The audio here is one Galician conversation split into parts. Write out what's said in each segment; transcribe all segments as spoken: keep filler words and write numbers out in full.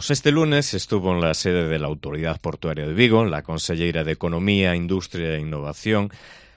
Pues este lunes estuvo en la sede de la Autoridad Portuaria de Vigo la conselleira de Economía, Industria e Innovación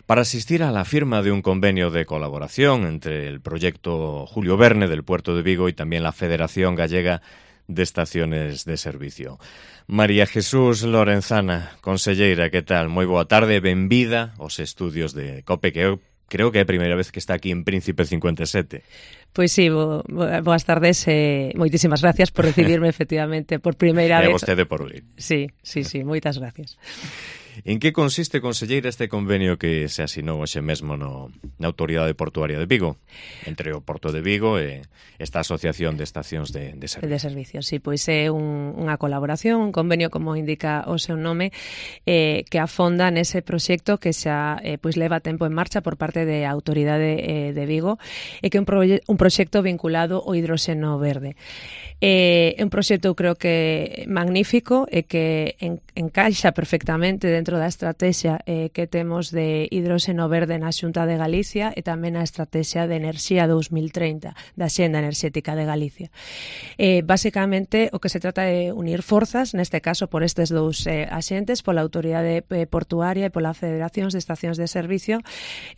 para asistir a la firma de un convenio de colaboración entre el proyecto Julio Verne del Puerto de Vigo y también la Federación Gallega de Estaciones de Servicio. María Jesús Lorenzana, conselleira, que tal? Moi boa tarde, benvida aos estudios de COPE, que eu creo que é a primeira vez que está aquí en Príncipe cincuenta e sete. Pois sí, bo, bo, boas tardes, eh, moitísimas gracias por recibirme efectivamente por primeira vez. E a vostede por vir. Sí, sí, sí, moitas gracias. En que consiste, conselleira, este convenio que se asinou hoxe mesmo no, na Autoridade Portuaria de Vigo, entre o Porto de Vigo e esta Asociación de Estacións de, de Servicio? De Servicio, sí, pois é un, unha colaboración, un convenio, como indica o seu nome, eh, que afonda nese proxecto que xa eh, pois leva tempo en marcha por parte da Autoridade eh, de Vigo e que é un, proye- un proxecto vinculado ao hidróxeno verde. É eh, un proxecto, eu creo que magnífico e que en, encaixa perfectamente dentro da estrategia eh, que temos de hidróxeno verde na Xunta de Galicia e tamén a estrategia de enerxía dos mil treinta da Xenda Enerxética de Galicia. Eh, basicamente, o que se trata é unir forzas, neste caso por estes dous eh, axentes, pola Autoridade eh, Portuaria e pola Federación de Estacións de Servicio,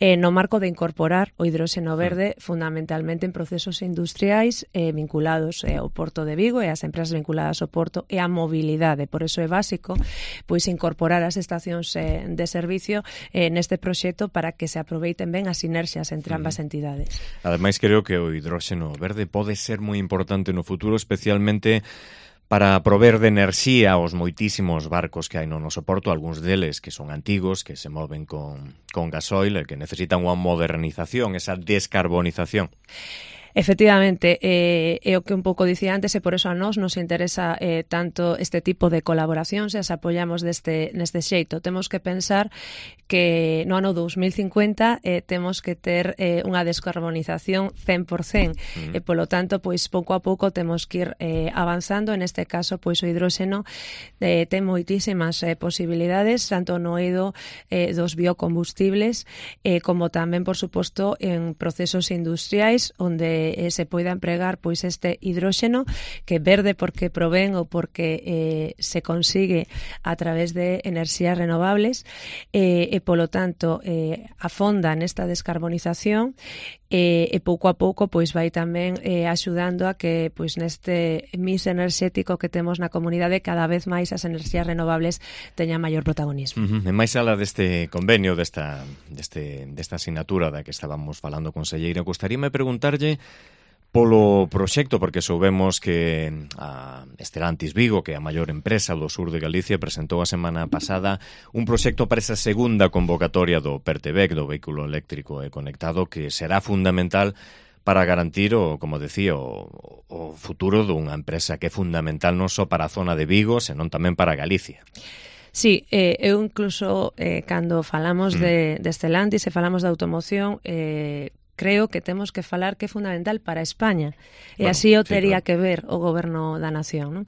eh, no marco de incorporar o hidróxeno verde fundamentalmente en procesos industriais eh, vinculados eh, ao Porto de Vigo e as empresas vinculadas ao Porto e á mobilidade. Por iso é básico pois incorporar as estacións eh, de servicio eh, neste proxecto para que se aproveiten ben as sinerxias entre ambas entidades. Ademais, creo que o hidróxeno verde pode ser moi importante no futuro, especialmente para prover de enerxía aos moitísimos barcos que hai no noso porto, algúns deles que son antigos, que se moven con, con gasoil e que necesitan unha modernización, esa descarbonización. Efectivamente, eh, é o que un pouco dicía antes e por eso a nós nos interesa eh, tanto este tipo de colaboracións e as apoiamos deste, neste xeito. Temos que pensar que no ano dos mil cincuenta eh, temos que ter eh, unha descarbonización cen por cento mm. e polo tanto, pois pouco a pouco temos que ir eh, avanzando. En este caso, pois o hidróxeno eh, ten moitísimas eh, posibilidades, tanto no eido eh, dos biocombustibles eh, como tamén, por suposto, en procesos industriais onde Eh, se poida empregar pois este hidróxeno que verde porque provén ou porque eh, se consigue a través de enerxías renovables eh, e polo tanto eh, afonda nesta descarbonización e, e pouco a pouco pois vai tamén eh, axudando a que pois neste mix enerxético que temos na comunidade cada vez máis as enerxías renovables teñan maior protagonismo. Uh-huh. E máis ala deste convenio, desta, deste, desta asignatura da que estábamos falando, conselleira, gustaríame preguntarlle polo proxecto, porque soubemos que a Stellantis Vigo, que é a maior empresa do sur de Galicia, presentou a semana pasada un proxecto para esa segunda convocatoria do Pertevec, do vehículo eléctrico e conectado, que será fundamental para garantir, o, como decía, o, o futuro dunha empresa que é fundamental non só para a zona de Vigo, senón tamén para Galicia. Sí, eh, eu incluso eh, cando falamos mm. de, de Stellantis e falamos de automoción, eh, creo que temos que falar que é fundamental para España e bueno, así o tería sí, claro. que ver o goberno da nación, non?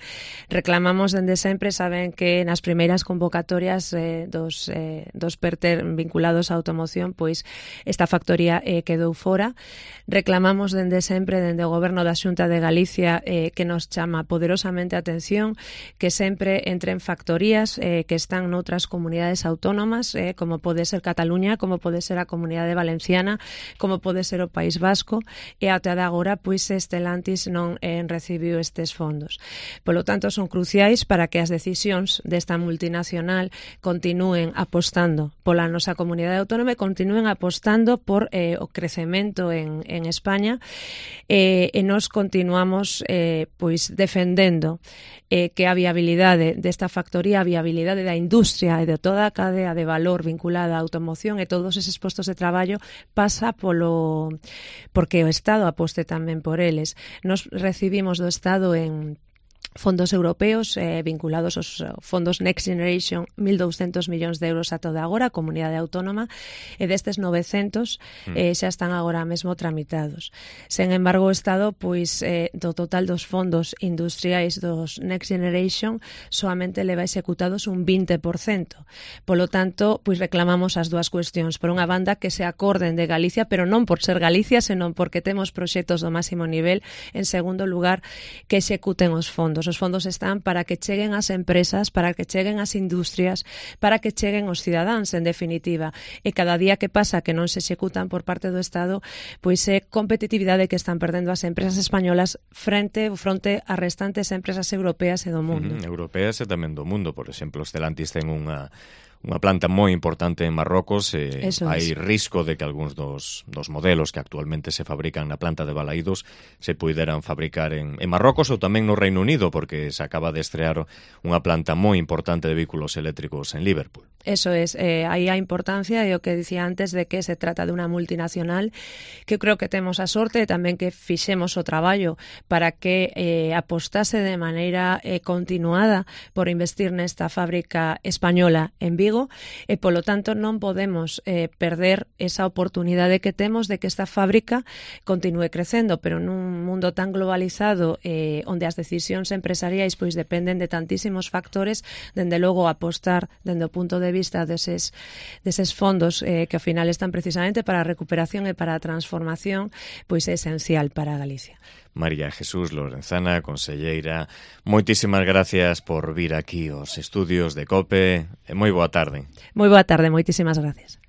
Reclamamos dende sempre, saben que nas primeiras convocatorias eh, dos, eh, dos PERTER vinculados á automoción, pois esta factoría eh, quedou fora. Reclamamos dende sempre, dende o goberno da Xunta de Galicia, eh, que nos chama poderosamente a atención que sempre entren factorías eh, que están noutras comunidades autónomas, eh, como pode ser Cataluña, como pode ser a Comunidade Valenciana, como pode ser o País Vasco, e até agora pois Stellantis non eh, recibiu estes fondos. Polo tanto, son cruciais para que as decisións desta multinacional continúen apostando pola nosa comunidade autónoma e continúen apostando por eh, o crecemento en, en España eh, e nos continuamos eh, pois defendendo eh, que a viabilidade desta factoría, a viabilidade da industria e de toda a cadea de valor vinculada á automoción e todos eses postos de traballo pasa polo porque o Estado aposte tamén por eles. Nos recibimos do Estado en fondos europeos eh, vinculados aos fondos Next Generation, mil douscentos millóns de euros a toda agora, a comunidade autónoma, e destes novecentos eh, xa están agora mesmo tramitados. Sen embargo, o Estado, pois, eh, do total dos fondos industriais dos Next Generation, soamente leva executados un vinte por cento. Polo tanto, pois reclamamos as dúas cuestións. Por unha banda, que se acorden de Galicia, pero non por ser Galicia, senón porque temos proxectos do máximo nivel. En segundo lugar, que executen os fondos. fondos. Os fondos están para que cheguen ás empresas, para que cheguen ás industrias, para que cheguen os cidadáns, en definitiva. E cada día que pasa que non se executan por parte do Estado, pois é competitividade que están perdendo as empresas españolas frente fronte ás restantes empresas europeas e do mundo. Uh-huh. Europeas e tamén do mundo. Por exemplo, Stellantis ten unha unha planta moi importante en Marrocos, e hai risco de que algúns dos, dos modelos que actualmente se fabrican na planta de Balaídos se puderan fabricar en, en Marrocos ou tamén no Reino Unido, porque se acaba de estrear unha planta moi importante de vehículos eléctricos en Liverpool. Eso es, eh, aí a importancia e o que dicía antes de que se trata de unha multinacional que creo que temos a sorte e tamén que fixemos o traballo para que eh, apostase de maneira eh, continuada por investir nesta fábrica española en Vigo, e polo tanto non podemos eh, perder esa oportunidade que temos de que esta fábrica continúe crecendo, pero nun mundo tan globalizado eh, onde as decisións empresariais pois dependen de tantísimos factores, dende logo apostar dende o punto de vista deses, deses fondos eh, que ao final están precisamente para a recuperación e para a transformación, pois é esencial para Galicia. María Jesús Lorenzana, conselleira, moitísimas gracias por vir aquí aos estudios de COPE e moi boa tarde. Moi boa tarde, moitísimas gracias.